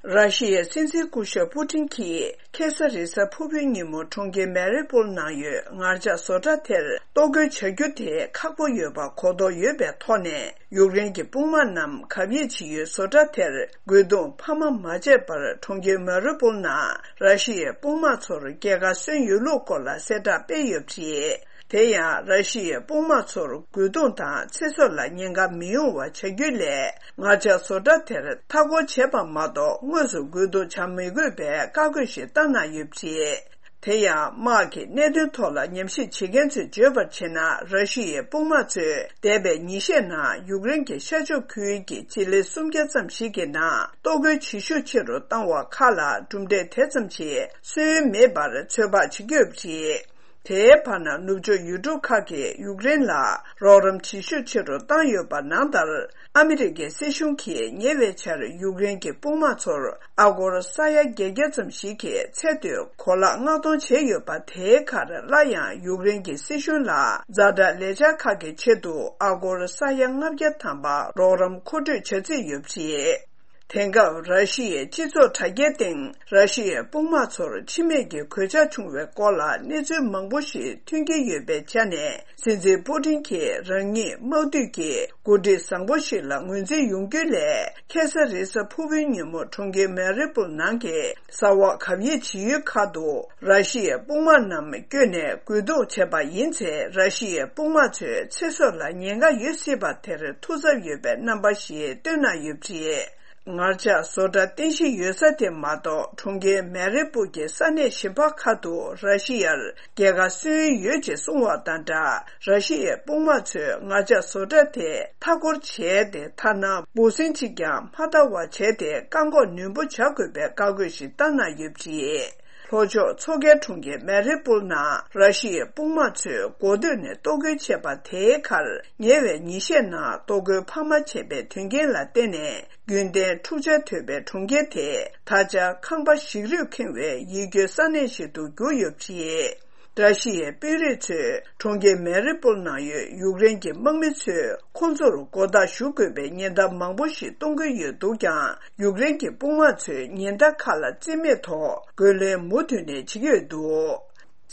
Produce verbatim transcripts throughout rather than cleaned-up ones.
ར་ཤི་ཡའི་སྲིད་འཛིན་སྐུ་ཞབས་པུ་ཏིན་གྱིས་ཁ་སང་རེས་གཟའ་ཕུར་བུའི་ཉིན་མོ་གྲོང་ཁྱེར་མེ་རི་པུལ་ནང་ཡོད་ངར་ལྕགས་བཟོ་གྲྭ་དེར་གཏོར་རྒོལ་བྱ་རྒྱུ་དེ་ཁག་པོ་ཡོད་པ་གོ་རྟོགས་ཡོད་པའི་ཐོག་ནས། ཡུཀ་རེན་གྱི་དཔུང་དམག་རྣམས་གབ་ཡིབ་བྱེད་ཡུལ་བཟོ་གྲྭ་དེར་རྒོལ་རྡུང་འཕར་མ་མ་བྱས་པར་གྲོང་ཁྱེར་མེ་རི་པུལ་ནང་ར་ཤི་ཡའི་དཔུང་དམག་ཚོར་རྒྱལ་ཁ་སོན་ཡོད་ལུགས་སྐོར་ལ་གསལ་བསྒྲགས་སྤེལ་ཡོད་པ་རེད། དེ་ཡང་ར་ཤི་ཡའི་དཔུང་དམག་ཚོར་རྒོལ་རྡུང་དང་ཚེ་སྲོག་ལ་ཉེན་ཁ་མི་ཡོང་བ་བྱ་རྒྱུའི་སླད། ངར་ལྕགས་བཟོ་གྲྭ་དེར་མཐའ་སྐོར་བྱས་པ་མ་གཏོགས་དངོས་སུ་རྒོལ་རྡུང་བྱ་མི་དགོས་པའི་བཀའ་བཀོད་ཞིག་བཏང་གནང་ཡོད་པ་རེད། དེ་ཡང་། དམག་གི་གནད་དོན་ཐོག་ལ་ཉམས་ཞིབ་བྱེད་མཁན་ཚོས་བརྗོད་པར་བྱས་ན། ར་ཤི་ཡའི་དཔུང་དམག་ཚོས་འདས་པའི་ཉིན་ཤས་ནང་ཡུཀ་རེན་གྱི་ཤར་ཕྱོགས་ཁུལ་གྱི་སྤྱི་ལེ་སུམ་བརྒྱ་ཙམ་ཞིག་གི་ནང་གཏོར་རྒོལ་བྱེད་ཤུགས་ཆེ་རུ་བཏང་བ་ཁག་ལ་གྲུབ་འབྲས་དེ་ཙམ་ཞིག་སོན་མེད་པར་ཚོད་དཔག་བྱེད་ཀྱི་ཡོད་པ་རེད། དེའི་བར་ན། ནུབ་ཕྱོགས་ཡུལ་གྲུ་ཁག་གིས་ཡུཀ་རེན་ལ་རོགས་རམ་བྱེད་ཤུགས་ཆེ་རུ་བཏང་ཡོད་པ་ནང་ལྟར། ཨ་མི་རི་ཀའི་སྲིད་གཞུང་གིས་ཉེ་བའི་ཆར་ཡུཀ་རེན་གྱི་དཔུང་དམག་ཚོར་ཨ་སྒོར་ས་ཡ་བརྒྱད་བརྒྱ་ཙམ་ཞིག་གི་ཚད་མཐོའི་གོ་ལག་མངགས་གཏོང་བྱས་ཡོད་པ། དེའི་ཁར་སླར་ཡང་ཡུཀ་རེན་གྱི་སྲིད་གཞུང་ལ་ཛ་དྲག་ལས་འཆར་ཁག་གི་ཆེད་དུ་ཨ་སྒོར་ས་ཡ་ལྔ་བརྒྱ་ཐམ་པ་རོགས་རམ་མཁོ་སྤྲོད་བྱ་རྩིས་ཡོད་པ་རེད། དེང་སྐབས་ར་ཤི་ཡའི་སྤྱི་ཚོགས་དྲ་རྒྱའི་སྟེང་ར་ཤི་ཡའི་དཔུང་དམག་ཚོར་འཆི་རྨས་ཀྱི་གོད་ཆག་བྱུང་བའི་སྐོར་ལ་གནས་ཚུལ་མང་པོ་ཞིག་ཐོན་གྱི་ཡོད་པའི་ཆ་ནས། སྲིད་འཛིན་པུ་ཏིན་གྱིས་རང་ཉིད་དམག་འཐུས་ཀྱི་འགོ་ཁྲིད་བཟང་པོ་ཞིག་ལ་ངོས་འཛིན་ཡོང་རྒྱུའི་སླད། ཁ་སང་རེས་གཟའ་ཕུར་བུའི་ཉིན་མོ་གྲོང་ཁྱེར་མེ་རི་པུལ་ནང་གི་གསར་པ་གབ་ཡིབ་བྱེད་ཡུལ་ཁག་ཏུ་ར་ཤི་ཡའི་དཔུང་དམག་རྣམས་བསྐྱོད་ནས་རྒོལ་རྡུང་བྱས་པ་ཡིན་ཚེ། ར་ཤི་ཡའི་དཔུང་དམག་ཚོའི་ཚེ་སྲོག་ལ་ཉེན་ཁ་ཡོད་སྲིད་པ་དེར་ཐུགས་འཚབ་ཡོད་པའི་རྣམ་པ་ཞིག་བཏོན་གནང་ཡོད་པ་རེད། ངར་ལྕགས་བཟོ་གྲྭ་རྟེན་གཞི་ཡོད་ས་དེ་མ་གཏོགས། གྲོང་ཁྱེར་མེ་རི་པུར་གྱི་ས་གནས་གཞན་པ་ཁག་ཏུ་ར་ཤི་ཡར་རྒྱལ་ཁ་སོན་ཡོད་ཅེས་གསུངས་པ་དང་སྦྲགས། ར་ཤི་ཡའི་དཔུང་དམག་ཚོས་ངར་ལྕགས་བཟོ་གྲྭ་དེ་མཐའ་སྐོར་བྱས་ཏེ། ཐ་ན་འབུ་སྲིན་གཅིག་ཀྱང་མ་བཏང་བ་བྱས་ཏེ། བཀག་འགོག་ནན་པོ་བྱ་དགོས་པའི་བཀའ་བཀོད་ཞིག་བཏང་གནང་ཡོད་པ་རེད། ལྷོ་ཕྱོགས་མཚོ་ཁའི་གྲོང་ཁྱེར་མེ་རི་པུར་ནང་ར་ཤི་ཡའི་དཔུང་དམག་ཚོས་འགོ་སྟོད་ནས་གཏོར་རྒོལ་བྱས་པ་དེའི་ཁར། ཉེ་བའི་ཉིན་ཤས་ནང་གཏོར་རྒོལ་འཕར་མ་བྱས་པའི་དོན་རྐྱེན་ལ་བརྟེན་ནས། རྒྱུན་ལྡན་འཁྲུག་ཆ་དོད་པའི་གྲོང་ཁྱེར་དེ་ད་ཆ་ཁང་པ་ཞིག་རུས་ཁེངས་པའི་ཡིད་སྐྱོའི་ས་གནས་ཤིག་ཏུ་གྱུར་ཡོད་པ་རེད། ར་ཤི་ཡའི་དཔོན་རིགས་ཚོས་གྲོང་ཁྱེར་མེ་རི་པུལ་ནང་ཡོད་ཡུཀ་རེན་གྱི་དམག་མི་ཚོས་ཁོང་ཚོར་མགོ་བཏགས་ཞུ་དགོས་པའི་ཉེན་བརྡ་མང་པོ་ཞིག་གཏོང་གི་ཡོད་འདུག་ཀྱང་། ཡུཀ་རེན་གྱི་དཔུང་དམག་ཚོས་ཉེན་བརྡ་ཁག་ལ་རྩིས་མེད་ཐོག་རྒོལ་ལན་མུ་མཐུད་ནས་བྱེད་ཀྱི་ཡོད་འདུག་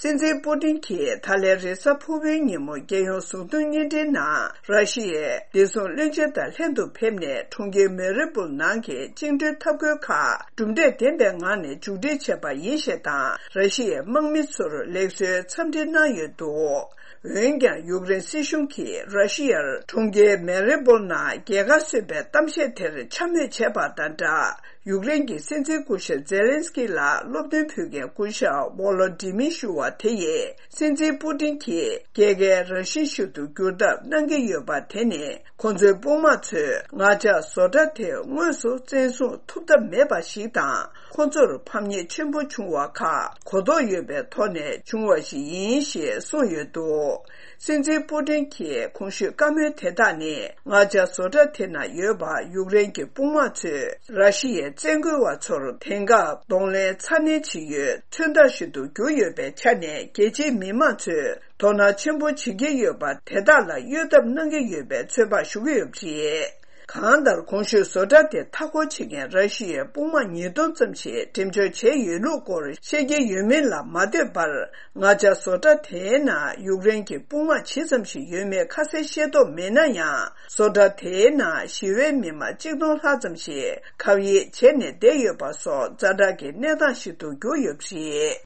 སྲིད་འཛིན་པུ་ཏིན་གྱིས་ད་ལན་རེས་གཟའ་ཕུར་བུའི་ཉིན་མོ་རྒྱལ་ཡོངས་གཟུངས་བསྟོད་བརྙན་འཕྲིན་ནང་། ར་ཤི་ཡའི་བདེ་སྲུང་བློན་ཆེན་དང་ལྷན་དུ་ཕེབས་ནས། གྲོང་ཁྱེར་མེ་རི་པུལ་ནང་གི་བཅིངས་འགྲོལ་འཐབ་རྒོལ་ཁག་གྲུབ་འབྲས་ལྡན་པའི་ངང་ནས་མཇུག་སྒྲིལ་བྱས་པ་ཡིན་ཞེས་དང་། ར་ཤི་ཡའི་དམག་མི་ཚོར་ལེགས་གསོའི་འཚམས་འདྲི་གནང་ཡོད་འདུག་འོན་ཀྱང་། ཡུཀ་རེན་སྲིད་གཞུང་གིས་ར་ཤི་ཡར་གྲོང་ཁྱེར་མེ་རི་པུལ་ནང་རྒྱལ་ཁ་གསོས་པའི་གཏམ་བཤད་དེར་འཕྱ་སྨོད་བྱས་པ་དང་སྦྲགས། ཡུཀ་རེན་གྱི་སྲིད་འཛིན་སྐུ་ཞབས་ཛེ་ལན་སི་ཀི་ལ་སློབ་སྟོན་ཕུལ་མཁན་སྐུ་ཞབས་ཝོ་ལོ་ཏི་མིར་ཞུ་བ་དེ་ཡིས། སྲིད་འཛིན་པུ་ཏིན་གྱིས་རྒྱལ་ཁའི་རང་བཞིན་ཞིག་ཏུ་འགྱུར་ཐབས་གནང་གི་ཡོད་པ་དེ་ནི། ཁོ་ཚོའི་དཔུང་དམག་ཚོས་ངར་ལྕགས་བཟོ་གྲྭ་དེ་དངོས་སུ་བཙན་བཟུང་ཐུབ་ཐབས་མེད་པ་ཞིག་དང་། ཁོ་ཚོར་ཕམ་ཉེས་ཆེན་པོ་བྱུང་བ་ཁག་གོ་རྟོགས་ཡོད་པའི་ཐོག་ནས་བྱུང་བ་ཞིག་ཡིན་ཞེས་གསུངས་ཡོད་འདུག་སྲིད་འཛིན་པུ་ཏིན་གྱི་གོང་ཞུས་བཀའ་མོལ་དེ་དག་ནི། ངར་ལྕགས་བཟོ་གྲྭ་དེ་ན་ཡོད་པ་ཡུཀ་རེན་གྱི་དཔུང་དམག་ཚོས་ར་ཤི་ཡའི་བཙན་རྒོལ་བ་ཚོར་དེང་སྐབས་གདོང་ལེན་ཚ་ནན་བྱེད་ཡུལ་མཚོན་རྟགས་ཤིག་ཏུ་གྱུར་ཡོད་པའི་ཆ་ནས། རྒྱལ་སྤྱིའི་མི་མང་ཚོས་དོ་སྣང་ཆེན་པོ་བྱེད་ཀྱི་ཡོད་པ་དེ་དག་ལ་གཡོལ་ཐབས་གནང་གི་ཡོད་པའི་ཚོད་དཔག་ཞུ་གི་ཡོད་པ་རེད། གང་ལྟར། གོང་ཞུས་བཟོ་གྲྭ་དེ་མཐའ་སྐོར་བྱེད་མཁན་ར་ཤི་ཡའི་དཔུང་དམག་ཉིས་སྟོང་ཙམ་ཞིག་འགྲེམས་འཇོག་བྱས་ཡོད་ལུགས་སྐོར་བཤད་ཀྱི་ཡོད་མིན་ལ་མ་ལྟོས་པར། ངར་ལྕགས་བཟོ་གྲྭ་དེའི་ནང་ཡུཀ་རེན་གྱི་དཔུང་དམག་ཇི་ཙམ་ཞིག་ཡོད་མེད་ཁ་གསལ་ཤེས་རྟོགས་མེད་ན་ཡང་། བཟོ་གྲྭ་དེའི་ནང་ཞི་བའི་མི་མང་གཅིག་སྟོང་ལྷག་ཙམ་ཞིག་གབ་ཡིབ་བྱས་ནས་བསྡད་ཡོད་པ་སོགས་ཛ་དྲག་གི་གནས་སྟངས་ཤིག་ཏུ་གྱུར་ཡོད་པ་རེད།